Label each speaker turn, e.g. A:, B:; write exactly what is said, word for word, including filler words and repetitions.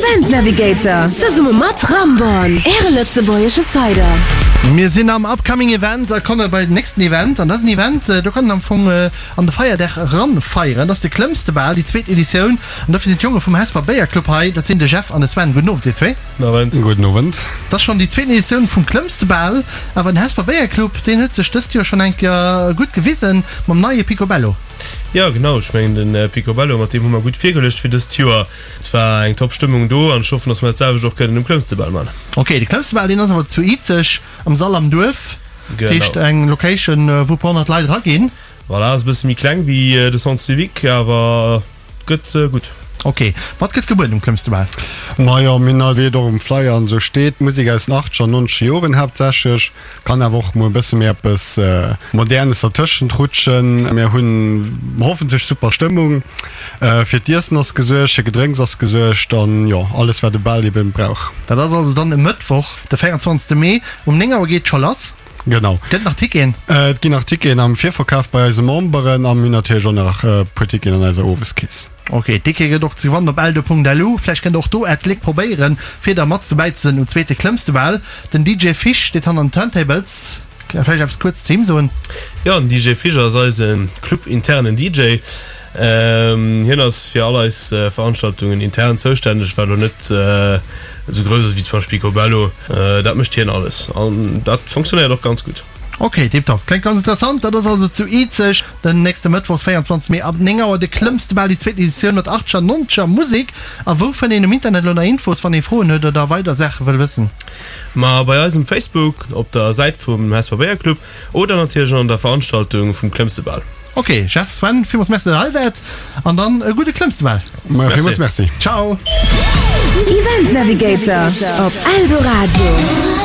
A: Event Navigator, zesumme mat Ramborn, äre lëtzebuergesche Cider.
B: Mir sinn am Upcoming Event a komme bei den nächsten Event. An dat ass en Event, do kann een am Fong an de Feierdag eranfeieren. Dat ass de Klëmmstebal, déi zweet Editioun. An dofir sinn d'Jonge vum Hesper Béierclub hei. Dat sinn de Jeff an de Sven. Gudden Owend, dir zwee.
C: Gudden Owend.
D: Gudden Owend.
B: Dat ass schonn déi zweeten Editioun vum Klëmmstebal. Awer den Hesper Béierclub, deen huet sech dëst Joer schonn eng Kéier gutt gewisen mam neie Picobello.
C: Jo genau, ech mengen den Picobello, mat deem hu mer gutt virgeluecht fir dëst Joer. Et war eng top Stëmmung do an ech hoffen, dass mer dat selwecht och kënnen um Klëmmstebal man.
B: Ok, de Klëmmstebal deen ass awer zu Izeg am Sall am Duerf, dat heescht
C: Genau.
B: eng Location wou e puer honnert Leit eraginn.
C: Voilà, ass e bësse méi kleng wéi de Centre Civique, awer gëtt gutt.
B: Ok, wat gëtt gebueden um Klëmmstebal?
D: Majo, mir hunn wéi et och um Flyer an esou steet, Musek aus den achtzeger an nonzeger Joren haaptsächlech. Kann awer och mol e bësse méi eppes Modernes dertëschent rutschen. Mir hunn hoffentlech super Stëmmung. Fir d'Iessen ass gesuergt, fir Gedrénks ass gesuergt an jo, alles wat e Bal eben brauch.
B: Dat ass also dann e Mëttwoch, de véierundzwanzegste Mee um néng Auer geet et scho lass.
D: Genau.
B: Gëtt nach Ticketen?
D: Et ginn nach Ticketen am Virverkaf bei eise Memberen a mir hunn natierlech och nach e puer Ticketen an eiser Oweskeess.
B: Ok, Tickete gëtt och ze gewannen op eldo.lu. Vläicht kënnt der och do Äert Gléck probéieren, fir da mat dobäi ze sinn um zweete Klëmmstebal. Den D J Fisch steet hanner den Turntables. Kënnt der vläicht eppes kuerz zu him soen?
C: Jo, den D J Fisch ass eise Club-internen D J. Hien ass fir all eis Veranstaltungen intern zoustänneg, wat elo net esou grouss ass wéi zum Beispill Picobello. Dat mécht hien alles an dat fonctionnéiert och ganz gutt.
B: Ok, tiptop. Kléngt ganz interessant. Dat ass also zu Izeg den nächste Mëttwoch, véierundzwanzeg Mee ab néng Auer, de Klëmmstebal, déi zweet Editioun mat achtzeger, nonzeger Musek. A wou fënnt een um Internet elo nach Infos, wann ee Froen huet oder weider Saache wëll wëssen?
C: Ma bei eis um Facebook op der Säit vum Hesper Béierclub oder natierlech an der Veranstaltung vum Klëmmstebal.
B: Ok, Jeff, Sven, villmools Merci, datt der hei waart an dann e gudde Klëmmstebal.
D: Majo, villmools Merci.
B: Ciao.
A: Event Navigator op Eldoradio.